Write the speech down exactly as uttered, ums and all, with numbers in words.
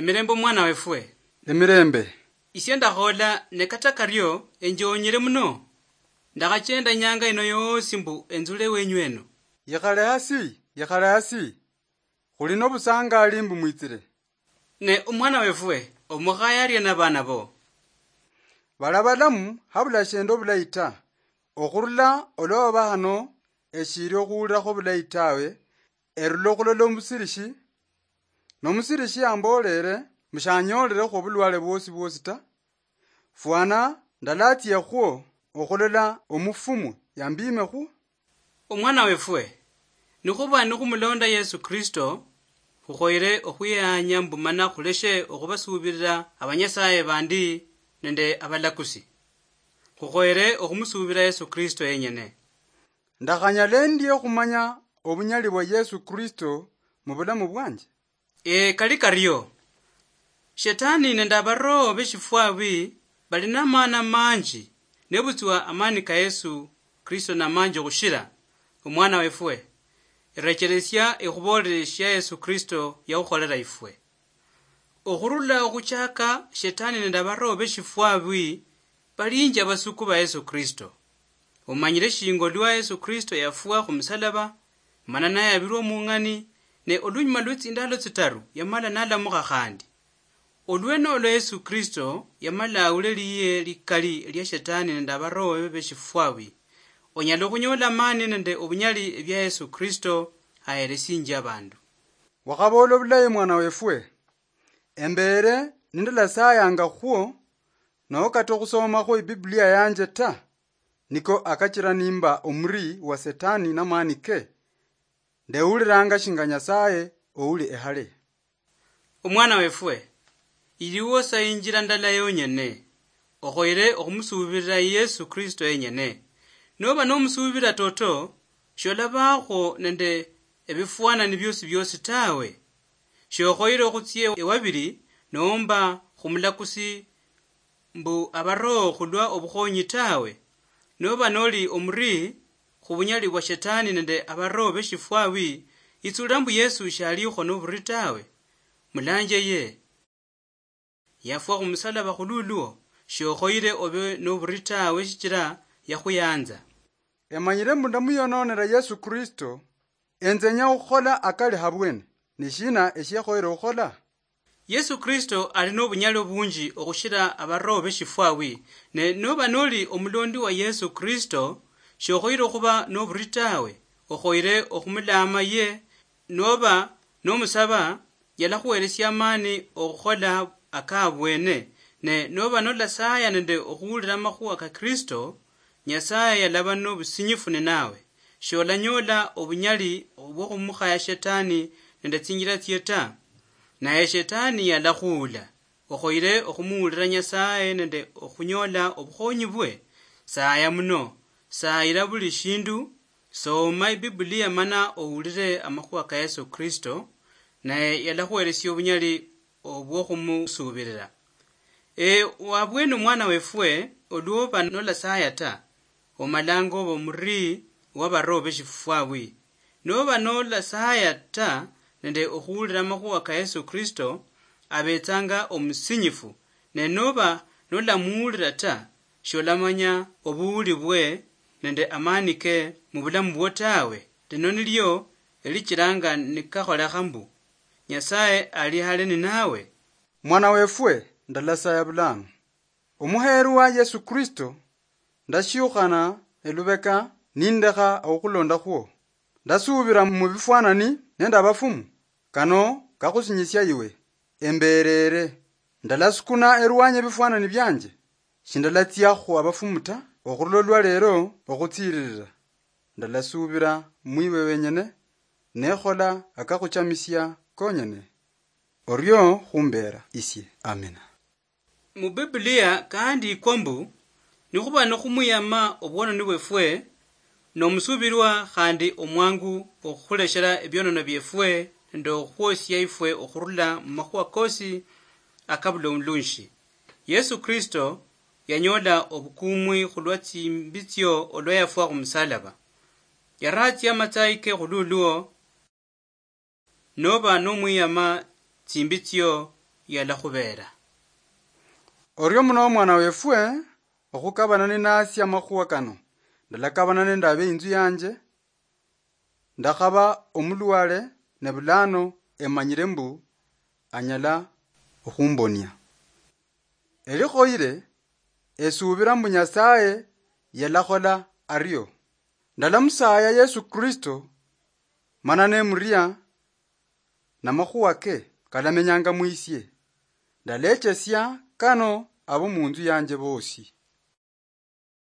Emirembe, omwana wefwe. Emirembe. Isie ndakhola, ne kata kario enjoonyere muno. Ndakhachenda inyanga ino yoosi mbu enzule ewenyu eno. Yikhale hasi, yikhale hasi. Khuli nobusangaali mbu mwitsire. Ne omwana wefwe, omukhaye arie nabaana bo? Bali abalamu, habula shiende obulayi ta. Okhurula olwa baba hano, eshiili okhuwulirakho obulayi tawe, erula okhulola omusilishi. Nomusilishi yamboolere, mushanyoolere khwo obulwale bwosi bwosi ta. Fwana ndalatsiakhwo okhulola omufumu yambiimekhwo. Omwana wefwe, nikhuba nikhumulonda Yesu Kristo, khukhoyere okhwiyahanya mbu mana khuleshe okhubasuubirira abanyasaye bandi nende abalakusi. Khukhoyere okhumusuubira Yesu Kristo yenyene. Ndakhanyala endie khumanya obunyali bwa Yesu Kristo mu bulamu bwanje? Ee, kali kario. Shetani nende abaroho beshifwabi bali namaana manji, nebutswa amaani ka Yesu Kristo namanji okhushira. Omwana wefwe, erecheresia ekhuboolere shia Yesu Kristo yakhukholera ifwe. Okhurula okhuchaka, Shetani nende abaroho beshifwabi balinji abasuku ba Yesu Kristo. Omanyire shinga olwa Yesu Kristo yafwa khumusalaba, mana nayabirwa mung'ani, ne olunyuma lwe tsindalo tsitaru yamala nalamukha khandi. Olwene olwa Yesu Kristo yamala awule liye likali lia Shetani nende abaroho bebe beshifwabi. Onyala okhunyola amani nende obunyali ebia Yesu Kristo aheresinjia abandu. Wakhaboola obulayi, mwana wefwe. Embeere nindalasayanga khwo, nokata okhusomakhwo Ibiblia yanje ta, niko akachira nimba omuri wa Setani namani ke. Ndewuliranga shinga Nyasaye ouli ehale. Omwana wefwe, iliwo sa injira ndala yonyene, okhoyere okhumusuubirira Yesu Kristo yenyene. Noba nomusuubira toto, sholabakhwo nende ebifwanani biosi biosi tawe. Shokhoyere okhutsia ewabili, nomba khumulakusi mbu abaroho khulwa obukhonyi tawe. Noba noli omuri khubunyali bwa Shetani nende abaroho beshifwabi, itsulira mbu Yesu shalikho noburi tawe. Mulanje ye. Yafwa khumusalaba khululwo, shokhoyire obe noburi tawe shichira yakhuyanza. Emanyire mbu ndamuyononera Yesu Kristo, enzenya okhukhola akali habwene. Nishina eshiekhoyere okhukhola? Yesu Kristo ali nobunyali obunji okhushira abaroho beshifwawi, ne noba noli omulondi wa Yesu Kristo, shokhoyire okhuba noburi tawe, okhoyire okhumulaama ye, noba nomusaba, yalakhuheresia amaani okhukhola akabwene, ne noba nolasaya nende okhuwulira amakhuwa ka Kristo, Nyasaye yalaba nobusinyifu ninawe, sholanyoola obunyali obwokhumukhaya Shetani nende tsinjira tsie ta. Naye Shetani yalakhuula, okhoyire okhumuwulira Nyasaye nende okhunyoola obukhonyi bwe. Saya muno, sayira buli shindu, soma Ibiblia mana owulire amakhuwa ka Yesu Kristo, naye yalakhuheresia obunyali obwokhumusuubirira. E, wabwene omwana wefwe, olwoba nolasaya ta, omalanga oba omuri wabaroho beshifwawi. Noba nolasaya ta nende okhuwulira amakhuwa ka Yesu Kristo, abetsanga omusinyifu, ne noba nolamuwulira ta, sholamanya obuwuli bwe nende amani ke mubulamu bwo tawe. Lino nilio elichiranga nikakholekha mbu, Nyasaye ali hale ninawe. Mwana wefwe, ndalasaya bulano. Omuheerwa Yesu Kristo, ndashiukhana elubeka nindekha okhukhulonda khwo. Ndasuubira mubifwanani nende abafumu, kano kakhusinyisia iwe. Embereere. Ndalasukuna erwanyi ebifwanani bianje. Shindalatsiakhu abafumu ta, okhurula olwa leero okhutsiririra. Ndalasuubira mwiwe wenyene, nekhola akakhuchamisia konyene. Orio khumbeera isie. Amina. Mu Biblia kahandiikwa mbu, nikhuba nikhumwiyama obwononi bwefwe, nomusuubilwa khandi omwangu okhukhuleshela ebionono biefwe nende okhukhwosia ifwe okhurula mumakhuwa kosi akabula omulunshi. Yesu Kristo yanyoola obukumwi khulwa tsimbitsio olwa yafwa khumusalaba. Yaratsia amatsayi ke khululwo, noba nomwiyama tsimbitsio yalakhubeera. Orio muno omwana wefwe, okhukabana ninasi amakhuwa kano, ndalakabana nende abeinzu yanje, ndakhaba omulwale, ne bulano emanyire mbu anyala okhumbonia. Elikhoyire, esuubira mbu Nyasaye yalakhola ario. Ndalamusaaya Yesu Kristo, mana nemuria, namakhuwa ke kalamenyanga mwisie. Ndalechesia kano abo munzu yanje bosi.